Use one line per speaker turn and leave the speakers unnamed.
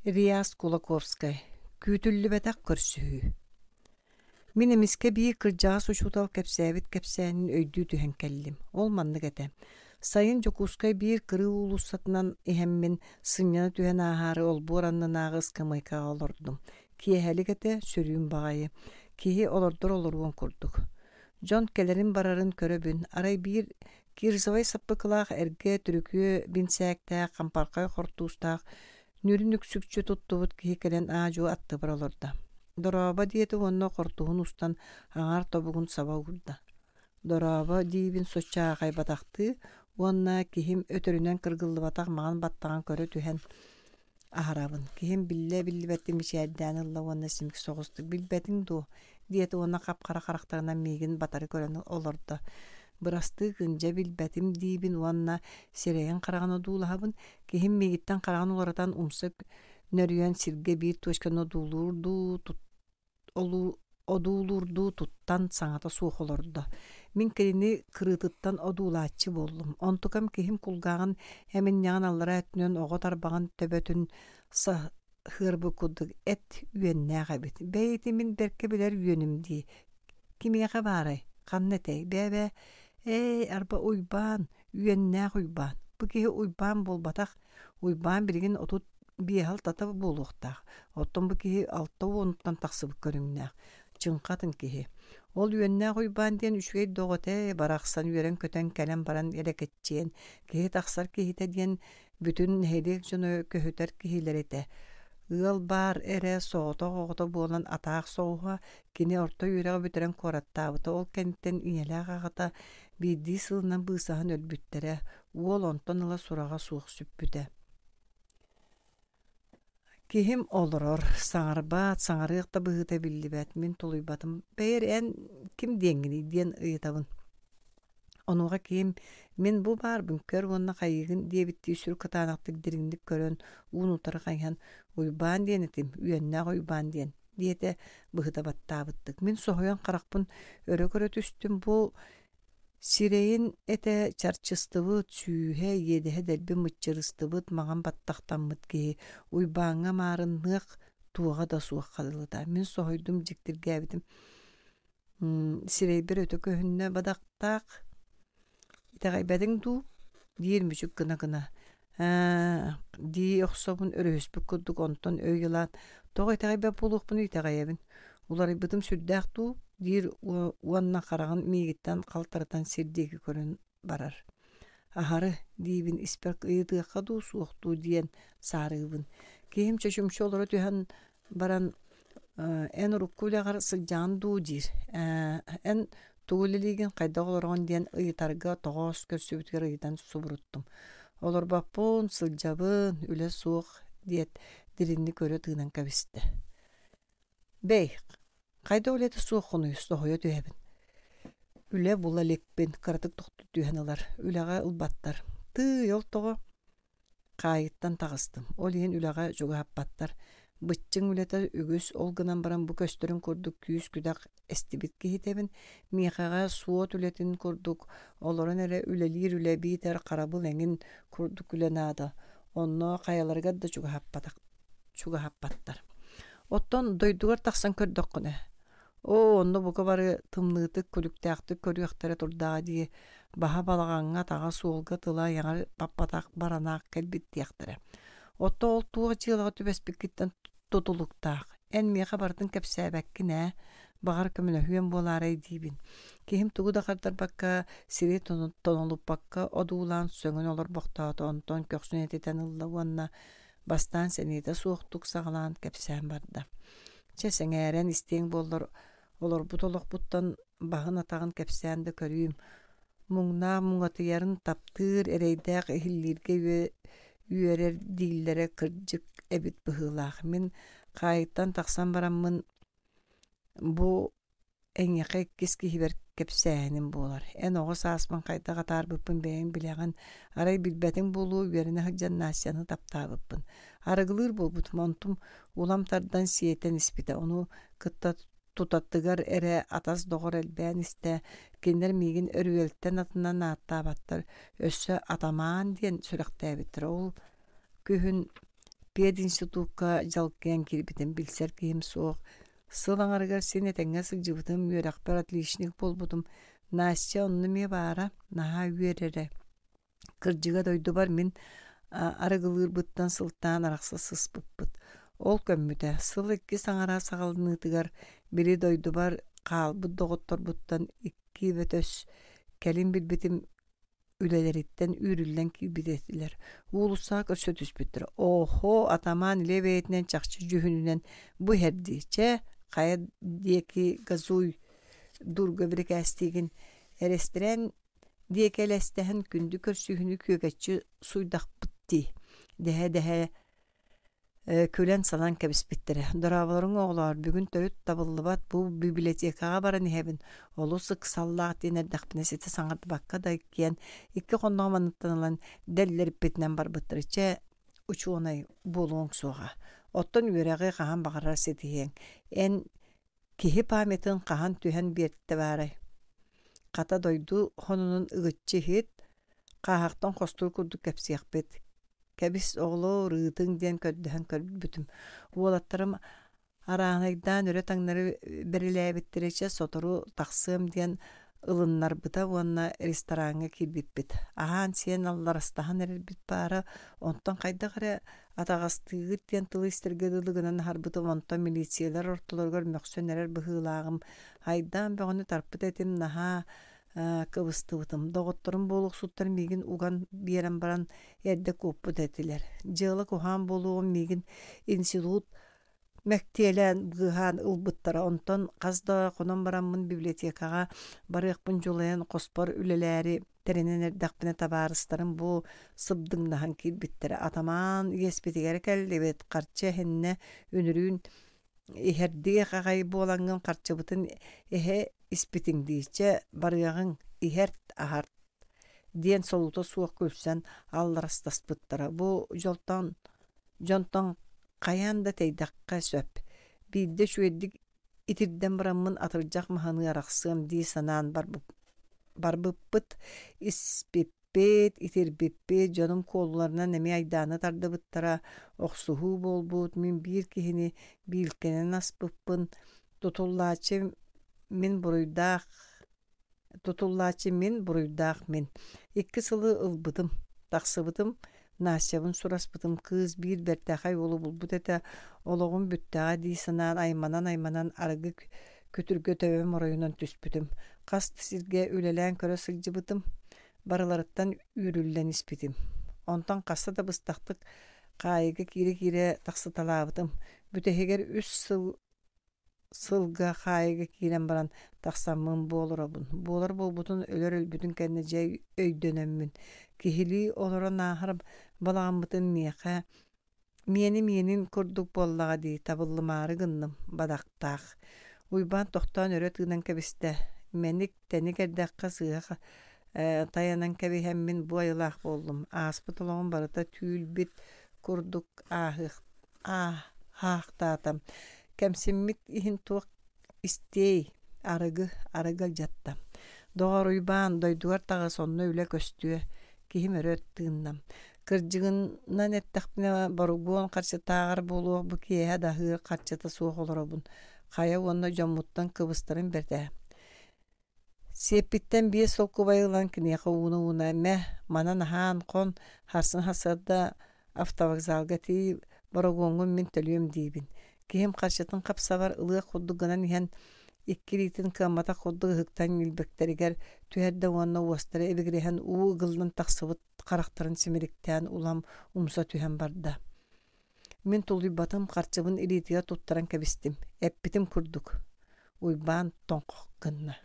Реас Кулаковскай Күүтүллүбэтэх көрсүһүү Мин эмискэ биир кырдьаҕас учуутал кэпсээбит кэпсээнин өйдүү түһэн кэллим. Ол маннык этэ. Сайын Дьокуускай биир кырыы уулуссатынан иһэммин, сынньана түһэн ааһаары олбуор аннынааҕы ыскамыайкаҕа олордум. Киэһэлик этэ, сөрүүн баҕайы. Киһи олордор олоруон курдук. Дьон кэлэрин-барарын көрөбүн, арай биир кирзовай саппыкылаах эргэ түрүкүө бинсээктээх, хампархай хортуустаах Нүрүн үксүкчү туттубут киһи кэлэн аа-дьуо аттыбар олордо. «Дорообо» диэтэ уонна хортуһун устан аҥаар тобугун саба уурда. «Дорообо» диибин соччо аахайбатахтыы уонна киһим өтөрүнэн кыргыллыбатах маҥан баттаҕын көрө түһэн аһарабын. Киһим биллэ-биллибэттик мичээрдээн ылла уонна симик соҕустук «Билбэтиҥ дуо?» диэтэ уонна хап-хара харахтарынан миигин батары көрөн олордо. Бырастыы гын, дьэ билбэтим диибин уонна сирэйин хараҕын одуулаһабын. Киһим миигиттэн хараҕын уларытан умса нөрүйэн сиргэ биир точканы одуулуурдуу одуулуурдуу туттан саҥата суох олордо. Мин кинини кырыытыттан одуулааччы буоллум. Онтукам киһим кулгааҕын эминньэҕин аллараа өттүнэн оҕо тарбаҕын төбөтүн саһыарбыт курдук эт үөннээх эбит. Бэйи мин бэркэ билэр үөнүм дии. Кимиэхэ баарай? Ханна этэй? Бээ-бээ, ээ, арба Уйбаан, үөннээх Уйбаан. Бу киһи Уйбаан буолбатах. Уйбаан билигин 35-алтата буолуохтаах. Оттон бу киһи 60-уттан тахсыбыт көрүҥнээх. Чыҥха атын киһи. Ол үөннээх Уйбаан диэн үчүгэй доҕо этэ, барахсан үөрэн-көтөн кэлэн баран элэкэччиэн, киһи тахсар киһитэ диэн бүтүн нэһилиэк дьоно көһүтэр киһилэрэ этэ. Ыал баар эрэ соҕотох оҕото буолан атаах соҕуһа, кини орто үөрэҕи бүтэрэн куораттаабыта. Ол кэнниттэн ийэлээх аҕата биирдии сылынан быысаһан өлбүттэрэ. Уол онтон ыла сураҕа суох сүппүтэ. Киһим олорор, саҥарбат, саҥарыах да быһыыта биллибэт, мин тулуйбатым. Бэйэр эн ким диэҥҥиний диэн ыйытабын. Онуоха киһим мин бу баарбын көр уонна хайыыгын диэбиттии сүр кытаанахтык дириҥник көрөн уун-утары хайыһан Уйбаан диэн этим, үөннээх Уйбаан диэн диэтэ быһыта баттаабыттык. Мин соһуйан харахпын өрө көрө түстүм бу Сирэйин этэ чарчыстыбыт, сүүһэ, иэдэһэ дэлби мыччырыстыбыт маҥан баттахтаммыт киһи Уйбааҥҥа маарынныах туоҕа да суох хадылыта. Мин соһуйдум, дьиктиргээбитим. Сирэйбэр өтө көһүннэ бадахтаах. Итэҕэйбэтиҥ дуу? диир мүчүк гына-гына. Ээ, дии охсобун өрүһүспүт курдук онтон өй ылаат, тоҕо итэҕэйбэт буолуохпунуй итэҕэйэбин. Уларыйбытым сүрдээх дуу? диир уонна хараҕын миигиттэн халтарытан сир диэки көрөн барар. Аһары, диибин испэр ыйытыахха дуу, суох дуу диэн саарыыбын. Киһим чочумча олоро түһэн баран эн урукку үлэҕэр сылдьаҕын дуу диир. Эн тугу үлэлиигин, хайдах олороҕун диэн ыйытарга тоҕоос көрсүбүтүгэр ыйытан субуруттум. Олорбоппун, сылдьабын, үлэ суох диэт дириҥник өрө тыынан кэбистэ. Бэй, хайдах үлэтэ суоххунуй, соһуйа түһэбин. Үлэ була иликпин, кыратык тохтуу түһэн ылар. Үлэҕэ ылбаттар. Тыый, ол тоҕо? Хаайыттан таҕыстым, ол иһин үлэҕэ чугаһаппаттар. Быччыҥ үлэтэ үгүс, ол гынан баран бу көстөрүн курдук күүс-күдэх эстибит киһитэбин. Миэхэҕэ суот үлэтин курдук олорон эрэ үлэлиир үлэ биитэр харабыл эҥин курдук үлэ наада. Онно хайаларыгар да чугаһаппатах чугаһаппаттар. Оттон дойдугар тахсан көрдөххүнэ, Оо, онно бука бары тымныытык, күлүктээхтик көрүөхтэрэ турдаҕа дии, баһа балаҕаҥҥа, атаҕа суолга тыла айаҕар баппатах баранаах кэлбит диэхтэрэ. Оттон ол туох дьыалаҕа түбэспиккиттэн тутулуктаах. Эн миэхэ барытын кэпсээбэккин ээ, баҕар көмөлөһүөм буолаарай диибин. Киһим тугу да хардарбакка, сири тонолуппакка одуулаан сөҥөн олорбохтоото, онтон көхсүн этитэн ылла уонна бастаан сэниэтэ суохтук саҕалаан кэпсээн барда. Чэ, сэҥээрэн истиэҥ буоллар, олорбут олохпуттан баһын-атаҕын кэпсээн да көрүүм. Муҥнаах муҥатыйарын таптыыр, эрэйдээх иһиллииргэ үөрэр дииллэрэ кырдьык эбит быһыылаах. Мин хаайыттан тахсан бараммын бу Эйиэхэ иккис киһибэр кэпсээһиним буолар. Эн оҕо сааспын хайдах атаарбыппын бэйэҥ билэҕин, арай билбэтиҥ буолуо үөрэнэ сылдьан Настяны таптаабыппын. Арыгылыыр буолбутум, онтум улам тардан сиэтэн испитэ, ону кытта тутатыгар эрэ атас-доҕор элбээн истэ, кинилэр миигин өрүөлтэн атынан ааттаабаттар, өссө атамаан диэн сүрэхтээбиттэрэ. Ол күһүн. Пединститукка дьалкыйан киирбитим, билсэр киһим суох. Сыл аҥарыгар син этэҥҥэ сылдьыбытым, үөрэхпэр отличник буолбутум. Настя онно эмиэ баара, наһаа үөрэрэ. Кырдьыга дойдубар мин арыгылыырбыттан сылтаан арахса сыспыппыт. Ол көммүтэ. Сыл иккис аҥара саҕаланыытыгар били дойдубар хаалбыт доҕотторбуттан икки бөтөс кэлин билбитим үлэлэриттэн үүрүллэн киирбит этилэр. Уулуссаҕа көрсө түспүттэр. Оһо, атамаан илэ бэйэтинэн чахчы дьүһүнүнэн бу иһэр дии. Чэ, хайа диэки газуй дурга бирикээстиигин. Эрэстэрээн диэки элэстэһэн күндү көрсүһүүнү күөгэччи суйдахпыт дии дэһэ-дэһэ күлэн-салан кэбиспиттэрэ. Дорооболоруҥ оҕолоор, бүгүн төрүт табыллыбат бу библиотекаҕа баран иһэбин, олус ыксаллаах диэн эрдэхпинэ ситэ саҥардыбакка да иккиэн икки хонноҕум анныттан ылан дэллэриппитинэн барбыттара. Чэ, учуонай буолуоҥ суоҕа. Оттон үөрэҕи хаһан баҕарар ситиһиэҥ. Эн Киһи памятын хаһан түһэн биэртэ баарай? Хата дойду хонунун ыгыччы иһит, хааһахтан хостуур курдук кэпсиэхпит. Кэбис, оҕолоор, ыытыҥ диэн көрдөһөн көрбүтүм. Уолаттарым арааһынайдаан өрө-таҥнары бэрилээбиттэрэ чэ сотору тахсыам диэн ылыннарбыта уонна рестораҥҥа киирбиппит. Аһаан-сиэн алларастаһан эрэрбит баара, онтон хайдах эрэ Атаҕастыыгыт диэн тылы истэргэ дылы гынан аһарбытым, онтон милициялар ортолоругар мөхсөн эрэр быһыылааҕым, айдаан бөҕөнү тарпыт этим, наһаа кыбыстыбытым. Доҕотторум буолуохсуттар миигин уган биэрэн баран эрдэ куоппут этилэр. Дьыала куһаҕан буолуоҕун миигин институт мэктиэлээн быыһаан ылбыттара. Онтон хас да хонон бараммын библиотекаҕа барыахпын дьулайан хоспор үлэлээри тэринэн эрдэхпинэ табаарыстарым бу сыбдыҥнаһан киирбиттэрэ. Атамаан иэспитигэр кэллибит, харчы эһиннэ, үнүрүүн иһэрдиэх аҕай буолаҥҥын харчыбытын эһэ испитиҥ дии, чэ барыаҕыҥ, иһэрт, аһарт диэн солуута суох күлсэн алларастаспыттара. Бу дьолтон дьонтон хайаан да тэйдэххэ сөп. Биирдэ үчүгэйдик итирдэн бараммын атырдьах маһыныы арахсыам дии санаан барбыппыт, испиппит, итирбиппит, дьонум куолуларынан эмиэ айдааны тардыбыттара, охсуһуу буолбут, мин биир киһини биилкэнэн аспыппын, тутуллааччы мин буруйдаах Тутуллааччы мин, буруйдаах мин. Икки сылы ылбытым, тахсыбытым, Настябын сураспытым, кыыс биир бэртээхэй уолу булбут этэ, олоҕум бүттэҕэ дии санаан айманан-айманан арыгы күтүргэ төбөм оройунан түспүтүм. Хас да сиргэ үлэлээн көрө сылдьыбытым, барыларыттан үүрүллэн испитим. Онтон хаста да быстахтык хаайыыга киирэ-киирэ тахсыталаабытым. Бүтэһигэр үс сыл сылга хаайыыга киирэн баран тахсаммын бу олоробун. Буолар буолбутун өлөр өлбүтүн кэннэ дьэ өйдөнөммүн, киһилии олорон ааһар балаҕаммытын миэхэ миэнэ миэнин курдук буоллаҕа дии табыллымаары гынным бадахтаах. Уйбаан тохтоон өрө тыынан кэбистэ. Мэник тэник эрдэххэ сыыһа тайанан кэбиһэммин бу айылаах буоллум. Ааспыт олоҕум барыта түүл-бит курдук ааһыах ааһаахтаата. Кэмсиммит иһин туох истиэй, арыгы, арыгы алдьатта. Доҕор Уйбаан, дойдугар таҕыс, онно үлэ көстүө. Киһим өрө тыынна. Кырдьыгынан эттэхпинэ, боругуон харчытааҕар буолуох бу киэһэ да аһыыр харчыта суох олоробун. Хайа уонна дьоммуттан кыбыстарым бэрт ээ. Сиэппиттэн биэс солкуобайы ылан киниэхэ ууна-ууна «Мэ, манан аһаан хон, харсын сарсыарда автовокзалга тиий, борогуоҥҥун мин төлүөм» диибин. Киһим харчытын хапсабар ылыах курдук гынан иһэн, икки илиитин кыамматах курдук ыһыктан ньилбэктэригэр түһэрдэ уонна уостара ибигирэһэн уу ыгыллан тахсыбыт харахтарын симириктээн улам умса түһэн барда. Мин тулуйбатым, харчыбын илиитигэр туттаран кэбистим, эппитим курдук, Уйбаан тоҥхох гынна.